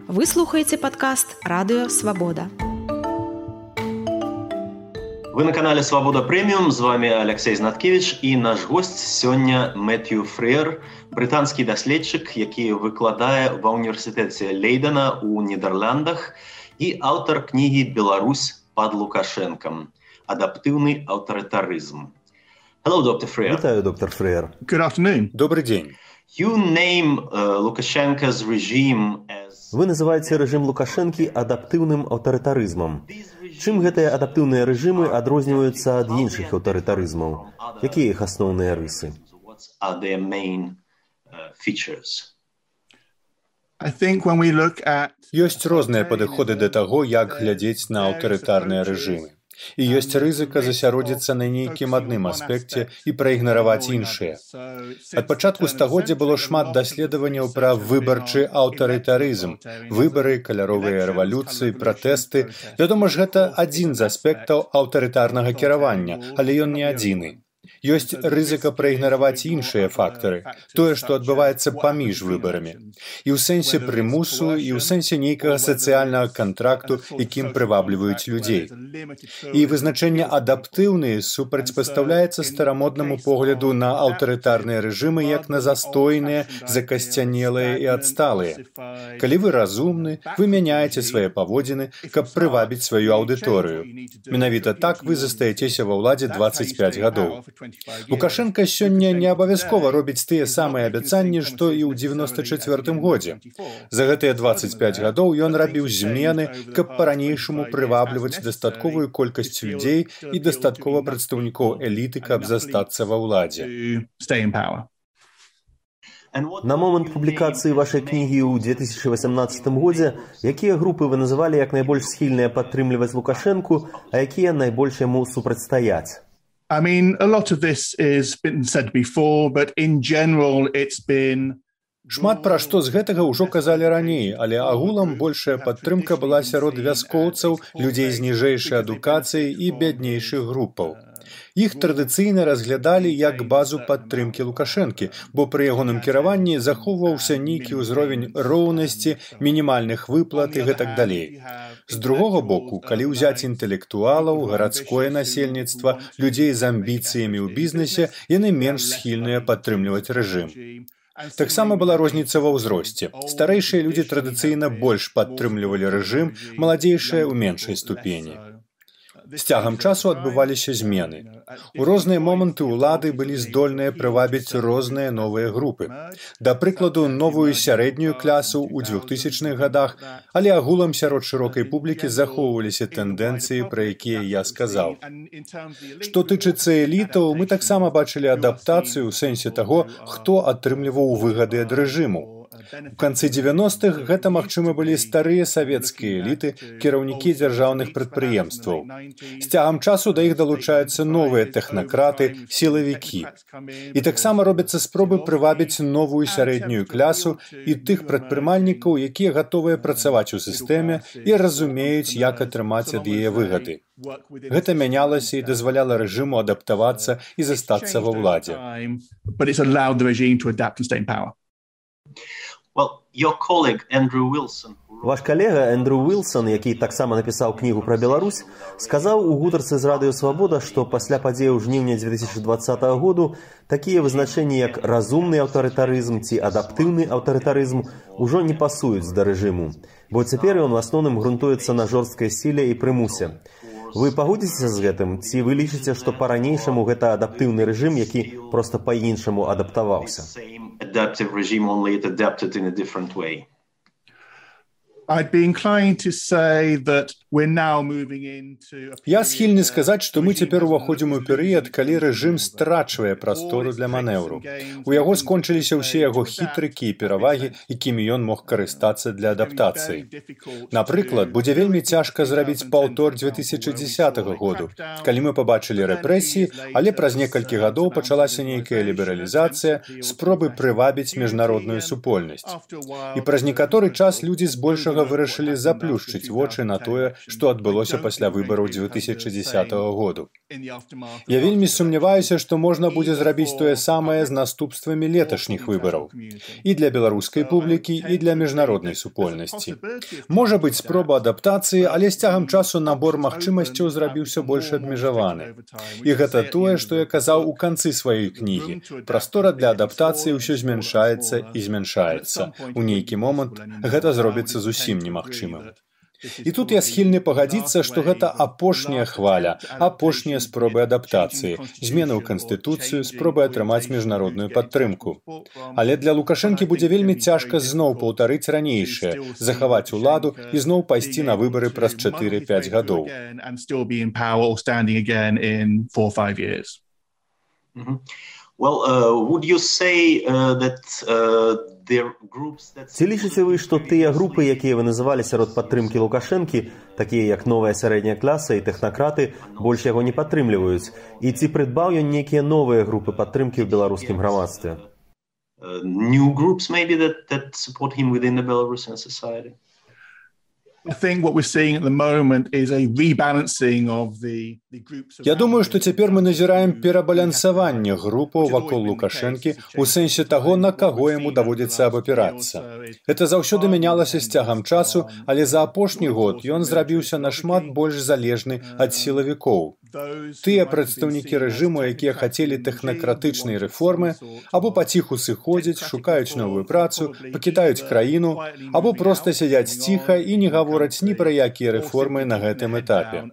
Вы слухаеце падкаст «Радыё Свабода». Вы на канале «Свабода Прэміум», з вами Алексей Знаткевич і наш госць сёння Мэтью Фрэер, брытанскі даследчык, які выкладае ва ўніверсітэце Лейдена ў Нідерландах і аўтар кнігі «Беларусь пад Лукашэнкам. Адаптыўны аўтарытарызм». Hello, Dr. Freer. Вітаю, доктор Фрэер. Good afternoon. Добрый день. You name Lukashenko's regime as... Вы называеце рэжым Лукашэнкі адаптыўным аўтарытарызмам. Чым гэтыя адаптыўныя рэжымы адрозніваюцца ад іншых аўтарытарызмаў? Якія іх асноўныя рысы? Ёсць розныя падыходы да таго, як глядзець на аўтарытарныя рэжымы. І ёсць рызыка засяродзіцца на нейкім адным аспекце і праігнараваць іншыя. Ад пачатку стагоддзя было шмат даследаванняў пра выбарчы аўтарытарызм, выбары, каляровыя рэвалюцыі, пратэсты. Вядома ж, гэта адзін з аспектаў аўтарытарнага кіравання, але ён не адзіны. Ёсць рызыка праігнараваць іншыя фактары, тое, што адбываецца паміж выбарамі. І ў сэнсе прымусу, і ў сэнсе нейкага сацыяльнага кантракту, якім прывабліваюць людзей. І вызначэнне адаптыўны супрацьпастаўляецца старамоднаму погляду на аўтарытарныя рэжымы як на застойныя, закасцянелыя і адсталыя. Калі вы разумны, вы мяняеце свае паводзіны, каб прывабіць сваю аўдыторыю. Менавіта так вы застаецеся ва ўладзе 25 гадоў. Лукашенко сёння не абавязкова робіць тыя самыя абяцанні, што і ў 94-м годзе. За гэтыя 25 гадоў ён рабіў змены, каб па-ранейшаму прывабліваць дастатковую колькасць людзей і дастаткова прадстаўнікоў эліты, каб застацца ва ўладзе. На момант публікацыі вашай кнігі ў 2018 годзе, якія групы вы называлі як найбольш схільныя падтрымліваць Лукашэнку, а якія найбольш яму супрацьстаяць? I mean, a lot of this has been said before, but in general it's been... Шмат пра што з гэтага ўжо казалі раней, але агулам большая падтрымка была сярод вяскоўцаў, людзей з ніжэйшай адукацыяй і бяднейшых групаў. Іх традыцыйна разглядалі як базу падтрымкі Лукашэнкі, бо пры ягоным кіраванні захоўваўся нейкі ўзровень роўнасці, мінімальных выплат і гэтак далей. З другога боку, калі ўзяць інтэлектуалаў, гарадское насельніцтва, людзей з амбіцыямі ў бізнесе, яны менш схільныя падтрымліваць рэжым. Таксама была розніца ва ўзросце. Старэйшыя людзі традыцыйна больш падтрымлівалі рэжым, маладзейшыя ў меншай ступені. З цягам часу адбываліся змены. У розныя моманты ўлады былі здольныя прывабіць розныя новыя групы. Да прыкладу, новую сярэднюю класу ў 2000-х гадах, але агулам сярод шырокай публікі захоўваліся тэндэнцыі, пра якія я сказаў. Што тычыцца элітаў, мы таксама бачылі адаптацыю ў сэнсе таго, хто атрымліваў выгады ад рэжыму. У канцы 90-х гэта, магчыма, былі старыя савецкія эліты, кіраўнікі дзяржаўных прадпрыемстваў. З цягам часу да іх далучаюцца новыя тэхнакраты, сілавікі. І таксама робяцца спробы прывабіць новую сярэднюю класу і тых прадпрымальнікаў, якія гатовыя працаваць у сістэме і разумеюць, як атрымаць ад яе выгады. Гэта мянялася і дазваляла рэжыму адаптавацца і застацца ва ўладзе. Ваш калега Эндрю Уилсон, які таксама напісаў кнігу пра Беларусь, сказаў у гутарцы з Радыё Свабода, што пасля падзеяў жніўня 2020 году такія вызначэнні, як разумны аўтарытарызм ці адаптыўны аўтарытарызм, ужо не пасуюць да рэжыму, бо цяпер ён у асноўным грунтуецца на жорсткай сіле і прымусе. Вы пагодзіцеся з гэтым? Ці вы лічыце, што па-ранейшаму гэта адаптыўны рэжым, які проста па-іншаму адаптаваўся? Я схільны сказаць, што мы цяпер уваходзім у перыяд, калі рэжым страчвае прастору для манеўру. У яго скончыліся ўсе яго хітрыкі і перавагі, якімі ён мог карыстацца для адаптацыі. Напрыклад, будзе вельмі цяжка зрабіць паўтор 2010 году, калі мы пабачылі рэпрэсіі, але праз некалькі гадоў пачалася нейкая лібералізацыя, спробы прывабіць міжнародную супольнасць. І праз некаторы час людзі збольшага вырашылі заплюшчыць вочы на тое, што адбылося пасля выбараў 2010 году. Я вельмі сумняваюся, што можна будзе зрабіць тое самае з наступствамі леташніх выбараў. І для беларускай публікі, і для міжнароднай супольнасці. Можа быць спроба адаптацыі, але з цягам часу набор магчымасцяў зрабіўся больш абмежаваны. І гэта тое, што я казаў у канцы сваёй кнігі. Прастора для адаптацыі ўсё змяншаецца і змяншаецца. У нейкі момант гэта зробіцца зусім немагчымым. І тут я схільны пагадзіцца, што гэта апошняя хваля, апошнія спробы адаптацыі, змены ў канстытуцыю, спробы атрымаць міжнародную падтрымку. Але для Лукашэнкі будзе вельмі цяжка зноў паўтарыць ранейшае, захаваць уладу і зноў пайсці на выбары праз 4-5 гадоў. Would you say that Ці лічыце вы, што тыя групы, якія вы называлі сярод падтрымкі Лукашэнкі, такія як новая сярэдняя класа і тэхнакраты, больш яго не падтрымліваюць? І ці прыдбаў ён нейкія новыя групы падтрымкі ў беларускім грамадстве? New groups maybe that support him within the Belarusian society? Я думаю, што цяпер мы назіраем перабалансаванне групаў вакол Лукашэнкі ў сэнсе таго, на каго яму даводзіцца абапірацца. Гэта заўсёды мянялася з цягам часу, але за апошні год ён зрабіўся нашмат больш залежны ад сілавікоў. Тыя прадстаўнікі рэжыму, якія хацелі тэхнакратычнай рэформы, або паціху сыходзяць, шукаюць новую працу, пакідаюць краіну, або проста сядзяць ціха і не гавораць ні пра якія рэформы на гэтым этапе.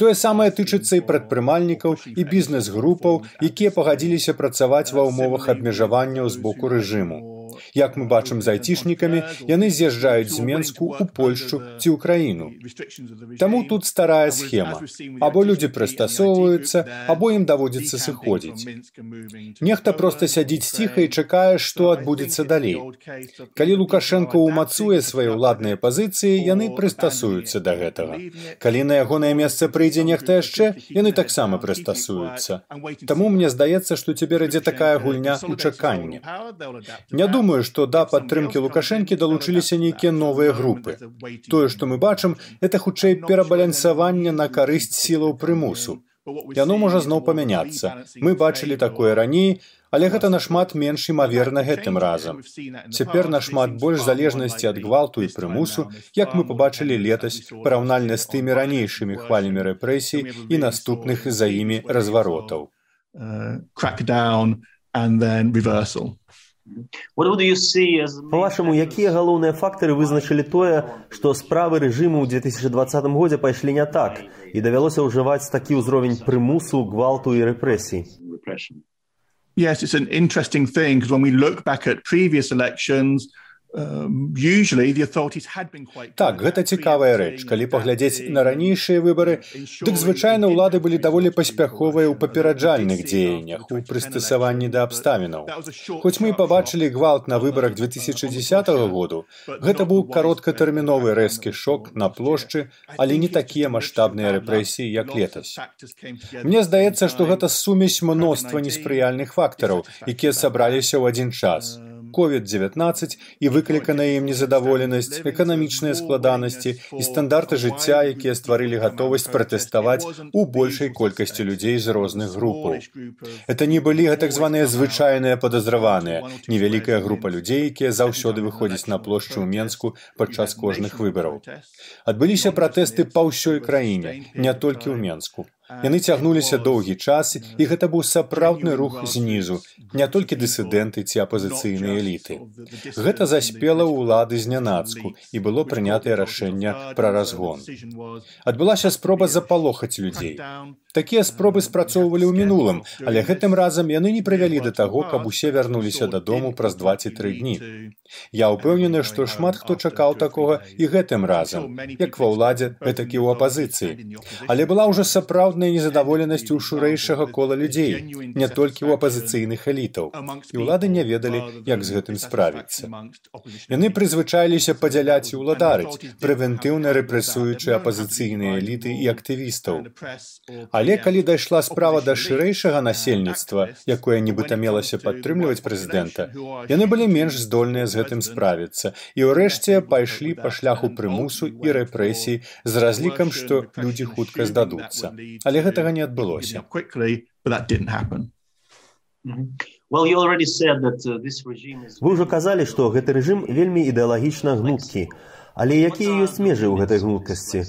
Тое самае тычыцца і прадпрымальнікаў і бізнес-групаў, якія пагадзіліся працаваць ва ўмовах абмежаванняў з боку рэжыму. Як мы бачым з айцішнікамі, яны з'язджаюць з Менску ў Польшчу ці ўкраіну. Таму тут старая схема. Або людзі прыстасоўваюцца, або ім даводзіцца сыходзіць. Нехта проста сядзіць ціха і чакае, што адбудзецца далей. Калі Лукашэнка ўмацуе свае ўладныя пазіцыі, яны прыстасуюцца да гэтага. Калі на ягонае месца прыйдзе нехта яшчэ, яны таксама прыстасуюцца. Таму мне здаецца, што цяпер ідзе такая гульня ў чаканні. Не думаю, што да падтрымкі Лукашэнкі далучыліся нейкія новыя групы. Тое, што мы бачым, гэта хутчэй перабалансаванне на карысць сілаў прымусу. Яно можа зноў памяняцца. Мы бачылі такое раней, але гэта нашмат менш імаверна гэтым разам. Цяпер нашмат больш залежнасці ад гвалту і прымусу, як мы пабачылі летась, параўнальна з тымі ранейшымі хвалямі рэпрэсій і наступных за імі разваротаў. Па-вашаму, якія галоўныя фактары вызначылі тое, што справы рэжыму ў 2020 годзе пайшлі не так і давялося ўжываць такі ўзровень прымусу, гвалту і рэпрэсій? Yes, it's an interesting thing because when we look back at previous elections, Так, гэта цікавая рэч. Калі паглядзець на ранейшыя выбары, дык звычайна ўлады былі даволі паспяховыя ў папераджальных дзеяннях, у прыстасаванні да абставінаў. Хоць мы і пабачылі гвалт на выбарах 2010 году, гэта быў кароткатэрміновы рэзкі шок на плошчы, але не такія маштабныя рэпрэсіі, як летась. Мне здаецца, што гэта сумесь мноства неспрыяльных фактараў, якія сабраліся ў адзін час. COVID-19 і выкліканая ім незадаволенасць, эканамічныя складанасці і стандарты жыцця, якія стварылі гатовасць пратэставаць у большай колькасці людзей з розных групаў. Это не былі так званыя звычайныя падазраваныя, невялікая група людзей, якія заўсёды выходзяць на плошчу ў Менску падчас кожных выбараў. Адбыліся пратэсты па ўсёй краіне, не толькі ў Менску. Яны цягнуліся доўгі час, і гэта быў сапраўдны рух знізу, не толькі дысідэнты ці апазіцыйныя эліты. Гэта заспела ўлады знянацку, і было прынятае рашэнне пра разгон. Адбылася спроба запалохаць людзей. Такія спробы спрацоўвалі ў мінулым, але гэтым разам яны не прывялі да таго, каб усе вярнуліся дадому праз 2-3 дні. Я ўпэўнены, што шмат хто чакаў такога і гэтым разам, як ва ўладзе, гэтак і ў апазіцыі. Але была ўжо сапраўдная сапраўдная незадаволенасць у шурэйшага кола людзей, не толькі ў апазіцыйных элітаў. І ўлады не ведалі, як з гэтым справіцца. Яны прызвычаіліся падзяляць і ўладарыць, прэвентыўна рэпрэсуючы апазіцыйныя эліты і актывістаў. Але калі дайшла справа да шырэйшага насельніцтва, якое нібыта мелася падтрымліваць прэзідэнта, яны былі менш здольныя з гэтым справіцца і ўрэшце пайшлі па шляху прымусу і рэпрэсій з разлікам, што людзі хутка здадуцца. Але гэтага не адбылося. Вы ўжо казалі, што гэты рэжым вельмі ідэалагічна гнуткі. Але якія ёсць межы ў гэтай гнуткасці?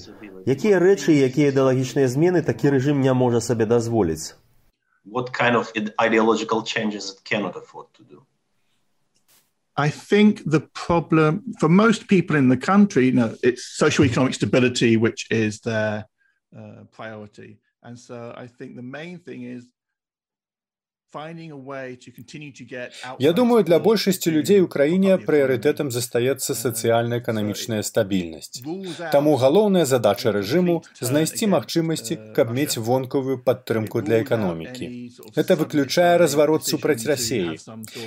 Якія рэчы і якія ідэалагічныя змены такі рэжым не можа сабе дазволіць? What kind of ideological changes it cannot afford to do? I think the problem for most people in the country, it's socio-economic stability, which is their priority. And so I think the main thing is Я думаю, для большасці людзей у краіне прыярытэтам застаецца сацыяльна-эканамічная стабільнасць. Таму галоўная задача рэжыму – знайсці магчымасці, каб мець вонкавую падтрымку для эканомікі. Гэта выключае разварот супраць Расіі.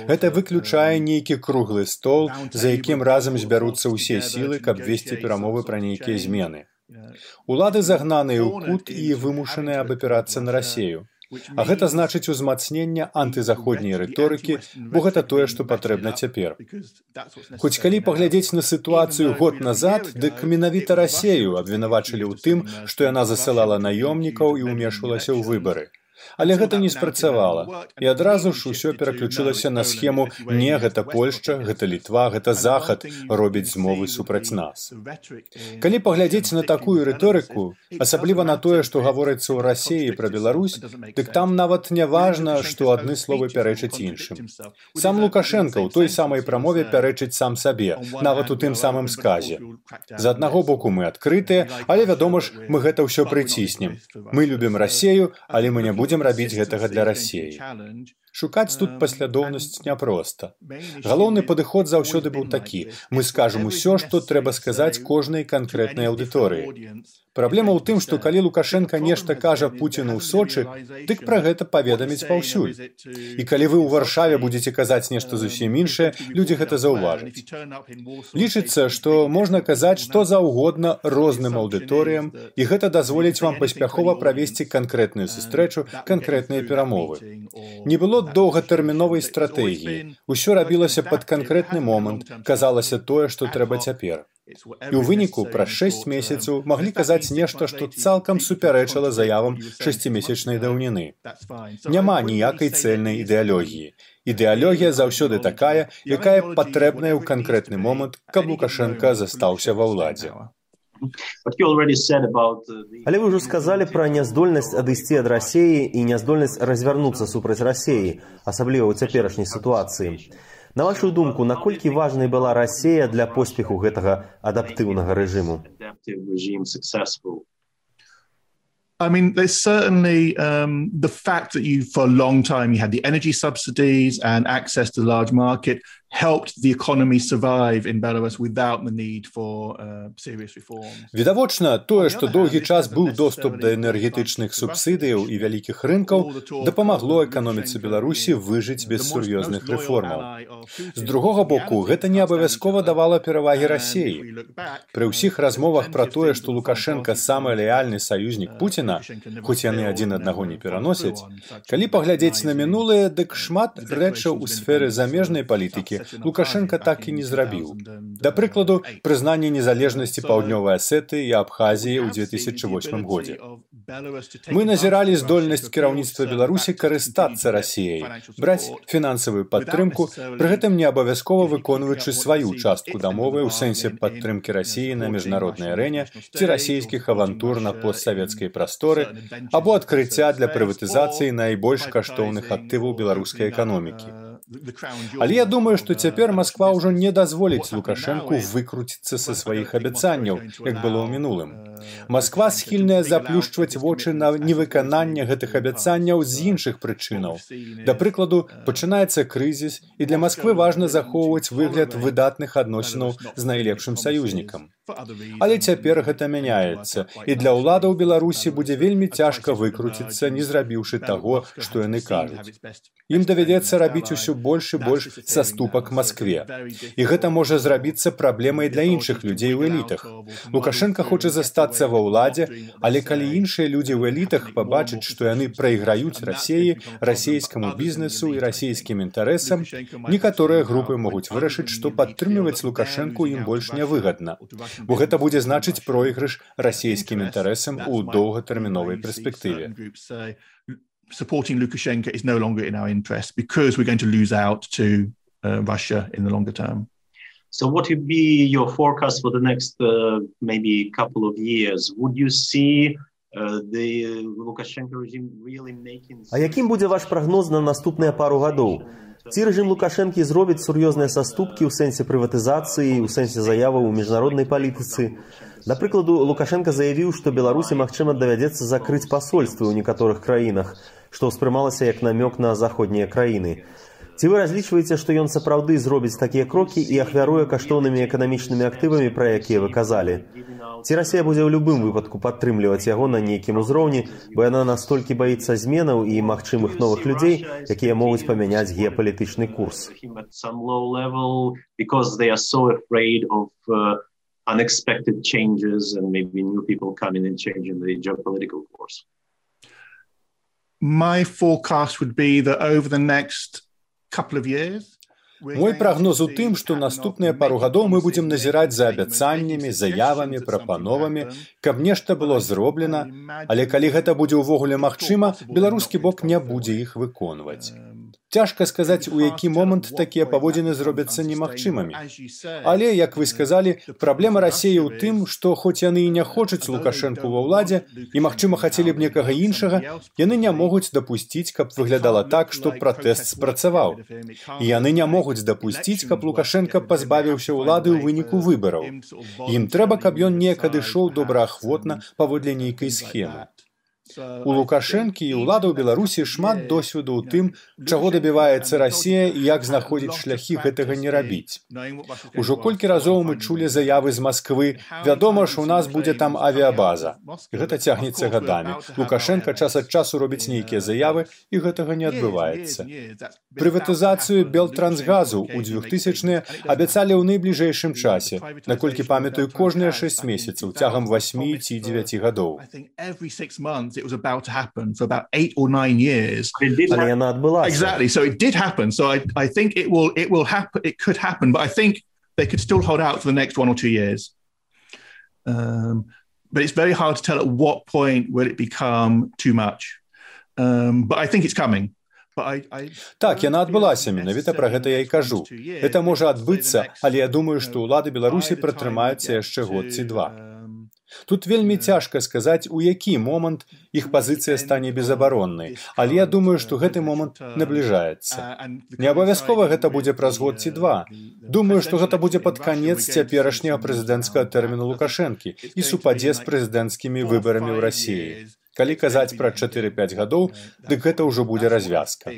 Гэта выключае нейкі круглы стол, за якім разам збяруцца ўсе сілы, каб весці перамовы пра нейкія змены. Улады загнаныя ў кут і вымушаныя абапірацца на Расію. А гэта значыць узмацнення антызаходняй рыторыкі, бо гэта тое, што патрэбна цяпер. Хоць калі паглядзець на сітуацыю год назад, дык менавіта Расію абвінавачылі ў тым, што яна засылала наёмнікаў і ўмешвалася ў выбары. Але гэта не спрацавала. І адразу ж усё пераключылася на схему «не, гэта Польшча, гэта Літва, гэта Захад робіць змовы супраць нас». Калі паглядзець на такую рыторыку, асабліва на тое, што гаворыцца ў Расіі пра Беларусь, дык там нават не важна, што адны словы пярэчаць іншым. Сам Лукашенка ў той самай прамове пярэчыць сам сабе, нават у тым самым сказе. З аднаго боку мы адкрытыя, але, вядома ж, мы гэта ўсё прыціснем. Мы любім Расію, але мы не будзем рабіць гэтага для Расіі. Шукаць тут паслядоўнасць няпроста. Галоўны падыход заўсёды быў такі. Мы скажам усё, што трэба сказаць кожнай канкрэтнай аўдыторыі. Праблема ў тым, што калі Лукашенка нешта кажа Пуціну ў Сочы, дык пра гэта паведаміць паўсюль. І калі вы ў Варшаве будзеце казаць нешта зусім іншае, людзі гэта заўважаць. Лічыцца, што можна казаць што заўгодна розным аўдыторыям, і гэта дазволіць вам паспяхова правесці канкрэтную сустрэчу, канкрэтныя перамовы. Не было доўгатэрміновай стратэгіі. Усё рабілася пад канкрэтны момант, казалася тое, што трэба цяпер. І ў выніку праз 6 месяцаў маглі казаць нешта, што цалкам супярэчыла заявам 6-месячнай даўніны. Няма ніякай цэльнай ідэалогіі. Ідэалогія заўсёды такая, якая патрэбная ў канкрэтны момант, каб Лукашенка застаўся ва ўладзе. Але вы ўжо сказалі пра няздольнасць адысці ад Расіі і няздольнасць развярнуцца супраць Расіі, асабліва ў цяперашняй сітуацыі. На вашу думку, наколькі важнай была Расія для поспеху гэтага адаптыўнага рэжыму? I mean, there's certainly the fact that for a long time you had the energy subsidies and access to the large market helped the economy survive in Belarus without the need for serious reforms. Відавочна, тое, што доўгі час быў доступ да энергетычных субсідыяў і вялікіх рынкаў, дапамагло эканоміцы Беларусі выжыць без сур'ёзных рэформаў. З другога боку, гэта не абавязкова давала перавагі Расіі. Пры ўсіх размовах пра тое, што Лукашенка самы лаяльны саюзнік Пуціна, хоць яны адзін аднаго не пераносяць, калі паглядзець на мінулае, дык шмат рэчаў у сферы замежнай палітыкі Лукашенка так і не зрабіў. Да прыкладу, прызнанне незалежнасці Паўднёвай Асетыі і Абхазіі ў 2008 годзе. Мы назіралі здольнасць кіраўніцтва Беларусі карыстацца Расіяй, браць фінансавую падтрымку, пры гэтым не абавязкова выконваючы сваю частку дамовы ў сэнсе падтрымкі Расіі на міжнароднай арэне ці расійскіх авантур на постсавецкай прасторы або адкрыцця для прыватызацыі найбольш каштоўных актываў беларускай эканомікі. Але я думаю, што цяпер Масква ўжо не дазволіць Лукашэнку выкруціцца са сваіх абяцанняў, як было ў мінулым. Масква схільная заплюшчваць вочы на невыкананне гэтых абяцанняў з іншых прычынаў. Да прыкладу, пачынаецца крызіс, і для Масквы важна захоўваць выгляд выдатных адносінаў з найлепшым саюзнікам. Але цяпер гэта мяняецца, і для ўладаў Беларусі будзе вельмі цяжка выкруціцца, не зрабіўшы таго, што яны кажуць. Ім давядзецца рабіць усё больш і больш саступак Маскве. І гэта можа зрабіцца праблемай для іншых людзей у элітах. Лукашенка хоча застацца ва ўладзе, але калі іншыя людзі ў элітах пабачаць, што яны прайграюць Расіі, расійскаму бізнесу і расійскім інтарэсам, некаторыя групы могуць вырашыць, што падтрымліваць Лукашэнку ім больш нявыгадна. Бо гэта будзе значыць пройгрыш расійскім інтарэсам у доўгатэрміновай перспектыве. Supporting Lukashenko is no longer in our interest because we're going to lose out to Russia in the longer term. So what would be your forecast for the next maybe couple of years? Would you see the Lukashenko regime really making... А якім будзе ваш прагноз на наступныя пару гадоў? Ці рэжым Лукашэнкі зробіць сур'ёзныя саступкі ў сэнсе прыватызацыі, у сэнсе заяваў у міжнароднай палітыцы? Да прыкладу, Лукашенка заявіў, што Беларусі, магчыма, давядзецца закрыць пасольствы ў некаторых краінах, што ўспрымалася як намёк на заходнія краіны. Ці вы разлічваеце, што ён сапраўды зробіць такія крокі і ахвяруе каштоўнымі эканамічнымі актывамі, пра якія вы казалі? Ці Расія будзе ў любым выпадку падтрымліваць яго на нейкім узроўні, бо яна настолькі баіцца зменаў і магчымых новых людзей, якія могуць памяняць геапалітычны курс? Unexpected changes and maybe new people coming and changing the geopolitical course. My forecast would be that over the next couple of years, мой прагноз у тым, што наступныя пару гадоў мы будзем назіраць за абяцаннямі, заявамі, прапановамі, каб нешта было зроблена, але калі гэта будзе ўвогуле магчыма, беларускі бок не будзе іх выконваць. Цяжка сказаць, у які момант такія паводзіны зробяцца немагчымымі. Але, як вы сказалі, праблема Расіі ў тым, што хоць яны і не хочуць Лукашэнку ва ўладзе і, магчыма, хацелі б некага іншага, яны не могуць дапусціць, каб выглядала так, што пратэст спрацаваў. І яны не могуць дапусціць, каб Лукашенка пазбавіўся ўлады ў выніку выбараў. Ім трэба, каб ён неяк адышоў добраахвотна паводле нейкай схемы. У Лукашэнкі і ўлада ў Беларусі шмат досведу ў тым, чаго дабіваецца Расія і як знаходзіць шляхі гэтага не рабіць. Ужо колькі разоў мы чулі заявы з Масквы, вядома ж, у нас будзе там авіябаза. І гэта цягнецца гадамі. Лукашенка час ад часу робіць нейкія заявы, і гэтага не адбываецца. Прыватызацыю Белтрансгазу ў 2000-е абяцалі ў найбліжэйшым часе, наколькі памятаю, кожныя 6 месяцаў, цягам 8 ці 9 гадоў. It was about to happen for about 8 or 9 years. Exactly. So it did happen. So I think it will happen. It could happen, but I think they could still hold out for the next 1 or 2 years. But it's very hard to tell at what point will it become too much. But I think it's coming. Так, яна адбылася, менавіта пра гэта я і кажу. Гэта можа адбыцца, але я думаю, што ўлады Беларусі пратрымаюцца яшчэ год ці два. Тут вельмі цяжка сказаць, у які момант іх пазіцыя стане безабароннай, але я думаю, што гэты момант набліжаецца. Не абавязкова гэта будзе праз год ці два. Думаю, што гэта будзе пад канец цяперашняга прэзідэнцкага тэрміну Лукашэнкі і супадзе з прэзідэнцкімі выбарамі ў Расіі. Калі казаць пра 4-5 гадоў, дык гэта ўжо будзе развязка.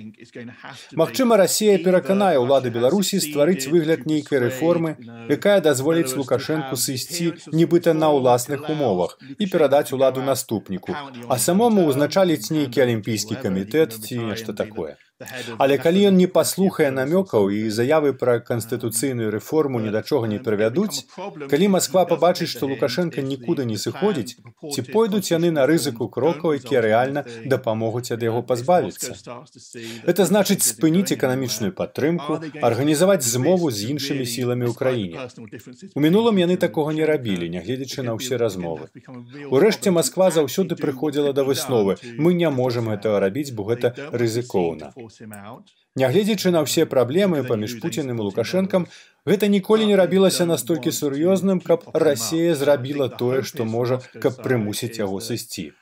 Магчыма, Расія пераканае ўлады Беларусі стварыць выгляд нейкай рэформы, якая дазволіць Лукашэнку сысці нібыта на ўласных умовах і перадаць уладу наступніку, а самому ўзначаліць нейкі алімпійскі камітэт ці нешта такое. Але калі ён не паслухае намёкаў і заявы пра канстытуцыйную рэформу ні да чога не прывядуць, калі Масква пабачыць, што Лукашенка нікуды не сыходзіць, ці пойдуць яны на рызыку крокаў, якія рэальна дапамогуць ад яго пазбавіцца. Гэта значыць спыніць эканамічную падтрымку, арганізаваць змову з іншымі сіламі ў краіне. У мінулым яны такога не рабілі, нягледзячы на ўсе размовы. Урэшце, Масква заўсёды прыходзіла да высновы: мы не можам гэтага рабіць, бо гэта рызыкоўна. Нягледзячы на ўсе праблемы паміж Пуцінам і Лукашэнкам, гэта ніколі не рабілася настолькі сур'ёзным, каб Расія зрабіла тое, што можа, каб прымусіць яго сысці.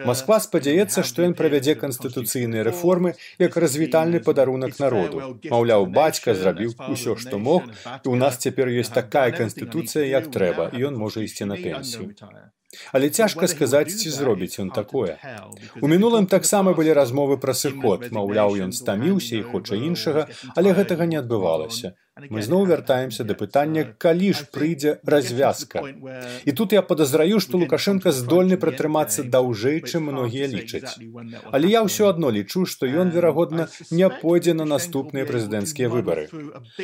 Масква спадзяецца, што ён правядзе канстытуцыйныя рэформы як развітальны падарунак народу. Маўляў, бацька зрабіў усё, што мог, і ў нас цяпер ёсць такая канстытуцыя, як трэба, і ён можа ісці на пенсію. Але цяжка сказаць, ці зробіць ён такое. У мінулым таксама былі размовы пра сыход, маўляў, ён стаміўся і хоча іншага, але гэтага не адбывалася. Мы зноў вяртаемся да пытання, калі ж прыйдзе развязка. І тут я падазраю, што Лукашенка здольны пратрымацца даўжэй, чым многія лічаць. Але я ўсё адно лічу, што ён, верагодна, не пойдзе на наступныя прэзідэнцкія выбары.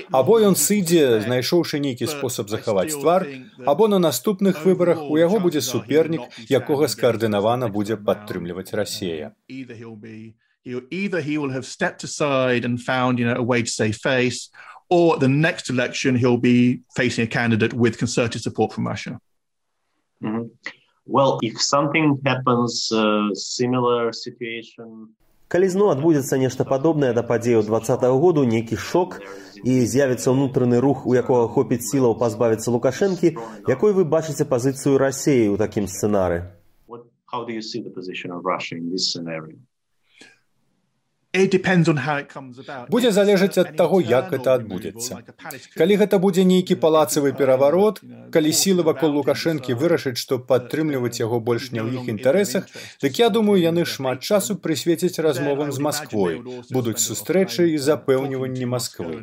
Або ён сыдзе, знайшоўшы нейкі спосаб захаваць твар, або на наступных выбарах у яго будзе супернік, якога скаардынавана будзе падтрымліваць Расія. Either he will have stepped aside and found, a way to save face, or at the next election he'll be facing a candidate with concerted support from Russia. Mm-hmm. Well, if something happens, similar situation... Калі зноў адбудзецца нешта падобнае да падзеяў 2020 году, нейкі шок, і з'явіцца ўнутраны рух, у якога хопіць сілаў пазбавіцца Лукашэнкі, якой вы бачыце пазіцыю Расіі ў такім сцэнары? How do you see the position of Russia in this scenario? Будзе залежаць ад таго, як гэта адбудзецца. Калі гэта будзе нейкі палацавы пераварот, калі сілы вакол Лукашэнкі вырашаць, што падтрымліваць яго больш не ў іх інтарэсах, дык я думаю, яны шмат часу прысвецяць размовам з Масквой, будуць сустрэчы і запэўніванні Масквы.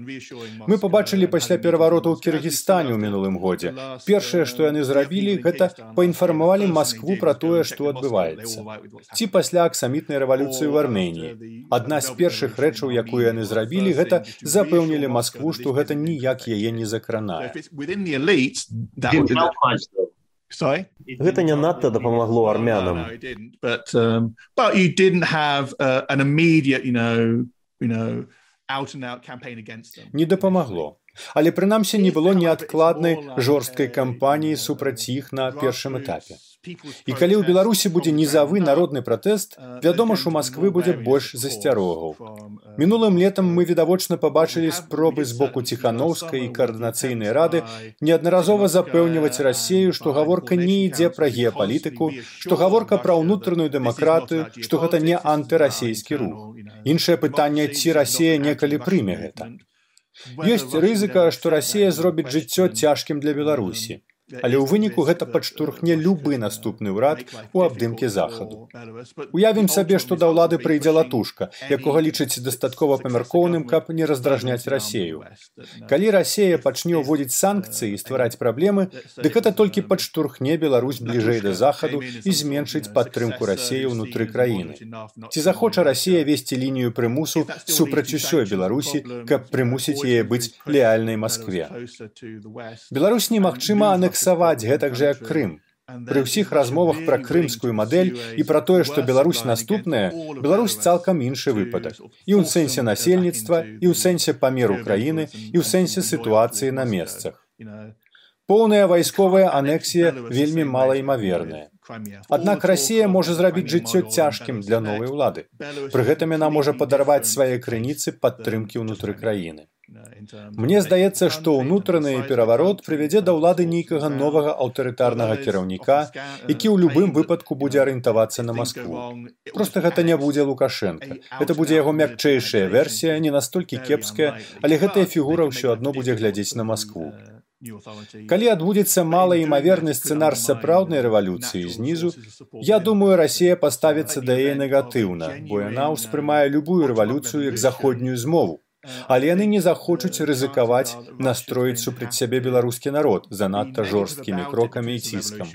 Мы пабачылі пасля перавароту ў Кіргізстане ў мінулым годзе. Першае, што яны зрабілі, гэта паінфармавалі Маскву пра тое, што адбываецца. Ці пасля аксамітнай рэвалюцыі ў Арменіі. Адна з першых рэчаў, якую яны зрабілі, гэта запэўнілі Маскву, што гэта ніяк яе не закранае. Гэта не надта дапамагло армянам. But you didn't have an immediate, Не дапамагло. Але прынамсі не было неадкладнай жорсткай кампаніі супраць іх на першым этапе. І калі ў Беларусі будзе нізавы народны пратэст, вядома ж, у Масквы будзе больш засцярогаў. Мінулым летам мы відавочна пабачылі спробы з боку Ціханаўскай і каардынацыйнай рады неаднаразова запэўніваць Расію, што гаворка не ідзе пра геапалітыку, што гаворка пра ўнутраную дэмакратыю, што гэта не антырасійскі рух. Іншае пытанне, ці Расія некалі прыме гэта. Ёсць рызыка, што Расія зробіць жыццё цяжкім для Беларусі. Але ў выніку гэта падштурхне любы наступны ўрад у абдымке захаду. Уявім сабе, што да ўлады прыйдзе Латушка, якога лічыць дастаткова памяркоўным, каб не раздражняць Расію. Калі Расія пачне ўводзіць санкцыі і ствараць праблемы, дык гэта толькі падштурхне Беларусь бліжэй да захаду і зменшыць падтрымку Расіі ўнутры краіны. Ці захоча Расія весці лінію прымусу супраць усёй Беларусі, каб прымусіць яе быць леальнай Маскве. Беларусь немагчыма анексаваць гэтак жа, як Крым. Пры ўсіх размовах пра крымскую мадэль і пра тое, што Беларусь наступная, Беларусь цалкам іншы выпадак. І ў сэнсе насельніцтва, і ў сэнсе памеру краіны, і ў сэнсе сітуацыі на месцах. Поўная вайсковая анексія вельмі малаімаверная. Аднак Расія можа зрабіць жыццё цяжкім для новай улады. Пры гэтым яна можа падарваць свае крыніцы падтрымкі ўнутры краіны. Мне здаецца, што ўнутраны пераварот прывядзе да ўлады нейкага новага аўтарытарнага кіраўніка, які ў любым выпадку будзе арыентавацца на Маскву. Проста гэта не будзе Лукашенка. Гэта будзе яго мякчэйшая версія, не настолькі кепская, але гэтая фігура ўсё адно будзе глядзець на Маскву. Калі адбудзецца малаімаверны сцэнар сапраўднай рэвалюцыі знізу, я думаю, Расія паставіцца да яе негатыўна, бо яна ўспрымае любую рэвалюцыю як заходнюю змову. Але яны не захочуць рызыкаваць настроіць супраць сябе беларускі народ занадта жорсткімі крокамі і ціскам.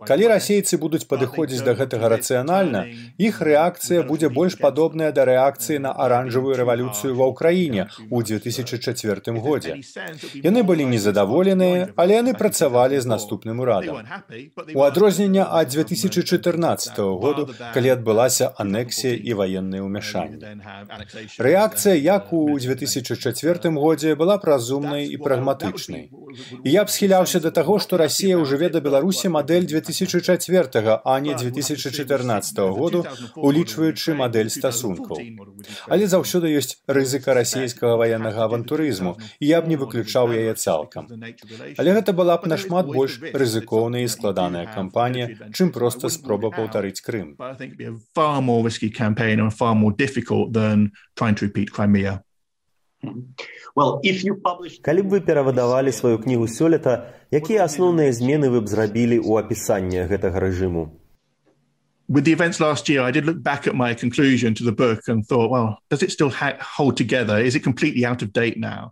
Калі расейцы будуць падыходзіць да гэтага рацыянальна, іх рэакцыя будзе больш падобная да рэакцыі на аранжавую рэвалюцыю ва ўкраіне ў 2004 годзе. Яны былі незадаволеныя, але яны працавалі з наступным урадам. У адрозненне ад 2014 году, калі адбылася анексія і ваеннае ўмяшанне. Рэакцыя як у 2004 годзе была празумнай і прагматычнай. І я б схіляўся да таго, што Расія ўжыве да Беларусі мадэль 2004, а не 2014 году, улічваючы мадэль стасункаў. Але заўсёды ёсць рызыка расійскага ваеннага авантурызму, і я б не выключаў яе цалкам. Але гэта была б нашмат больш рызыкоўная і складаная кампанія, чым проста спроба паўтарыць Крым. Far more risky campaign and far more difficult than trying to repeat Crimea. Калі б вы перавыдавалі сваю кнігу сёлета, якія асноўныя змены вы б зрабілі ў апісанні гэтага рэжыму? With the events last year, I did look back at my conclusion to the book and thought, well, does it still hold together? Is it completely out of date now?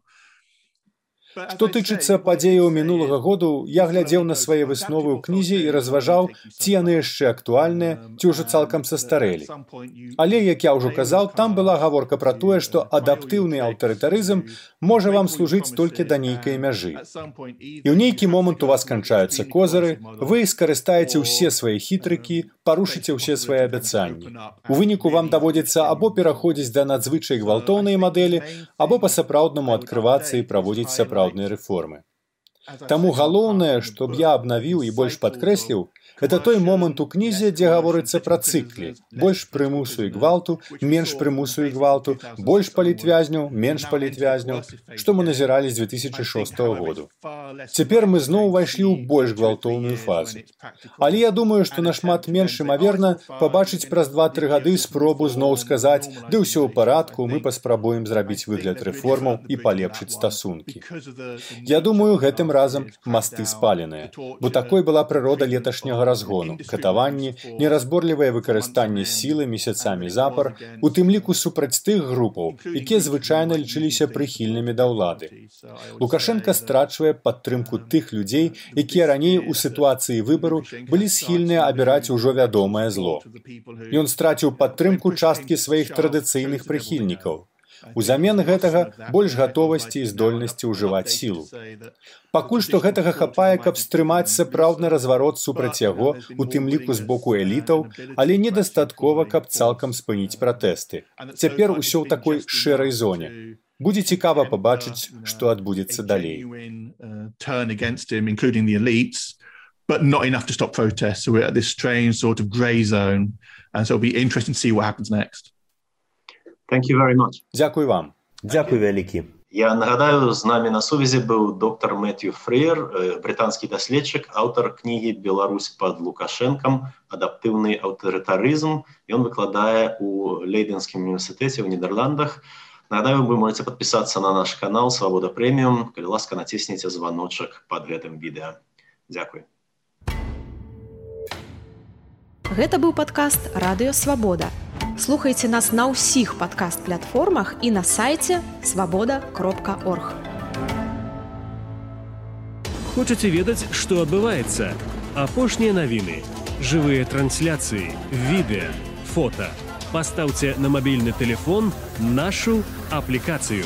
Што тычыцца падзеяў мінулага году, я глядзеў на свае высновы ў кнізе і разважаў, ці яны яшчэ актуальныя, ці ўжо цалкам састарэлі. Але, як я ўжо казаў, там была гаворка пра тое, што адаптыўны аўтарытарызм можа вам служыць толькі да нейкай мяжы. І ў нейкі момант у вас канчаюцца козыры, вы скарыстаеце ўсе свае хітрыкі, парушыце ўсе свае абяцанні. У выніку вам даводзіцца або пераходзіць да надзвычай гвалтоўнай мадэлі, або па-сапраўднаму адкрывацца і праводзіць сапраўдныя рэформы. Таму галоўнае, што б я абнавіў і больш падкрэсліў, гэта той момант у кнізе, дзе гаворыцца пра цыклі. Больш прымусу і гвалту, менш прымусу і гвалту, больш палітвязняў, менш палітвязняў, што мы назіралі з 2006 году. Цяпер мы зноў увайшлі ў больш гвалтоўную фазу. Але я думаю, што нашмат менш імаверна пабачыць праз 2-3 гады спробу зноў сказаць, ды ўсё ў парадку, мы паспрабуем зрабіць выгляд рэформаў і палепшыць стасункі. Я думаю, гэтым разам масты спаленыя, бо такой была прырода леташняга разгону, катаванні, неразборлівае выкарыстанне сілы месяцамі запар, у тым ліку супраць тых групаў, якія звычайна лічыліся прыхільнымі да ўлады. Лукашенка страчвае падтрымку тых людзей, якія раней у сітуацыі выбару былі схільныя абіраць ужо вядомае зло. Ён страціў падтрымку часткі сваіх традыцыйных прыхільнікаў. Узамен гэтага больш гатовасці і здольнасці ўжываць сілу. Пакуль што гэтага хапае, каб стрымаць сапраўдны разварот супраць яго, у тым ліку з боку элітаў, але недастаткова, каб цалкам спыніць пратэсты. Цяпер усё ў такой шэрай зоне. Будзе цікава пабачыць, што адбудзецца далей. But not enough to stop protests. So we're at this strange sort of grey zone. And so it'll be interesting to see what happens next. Thank you very much. Дзякуй вам. Дзякуй вялікі. Я нагадаю, з намі на сувязі быў доктар Мэтью Фрэйер, брытанскі даследчык, аўтар кнігі «Беларусь пад Лукашэнкам. Адаптыўны аўтарытарызм». Ён выкладае ў Лейдэнскім універсітэце ў Нідерландах. Нагадаю, вы можете падпісацца на наш канал «Свабода Прэміум». Калі ласка, націсніце званочак пад гэтым відэа. Дзякуй. Гэта быў падкаст «Радыё Свабода». Слухайце нас на ўсіх падкаст-платформах і на сайце свабода.орг. Хочаце ведаць, што адбываецца? Апошнія навіны, жывыя трансляцыі, відэа, фота. Пастаўце на мабільны тэлефон нашу аплікацыю.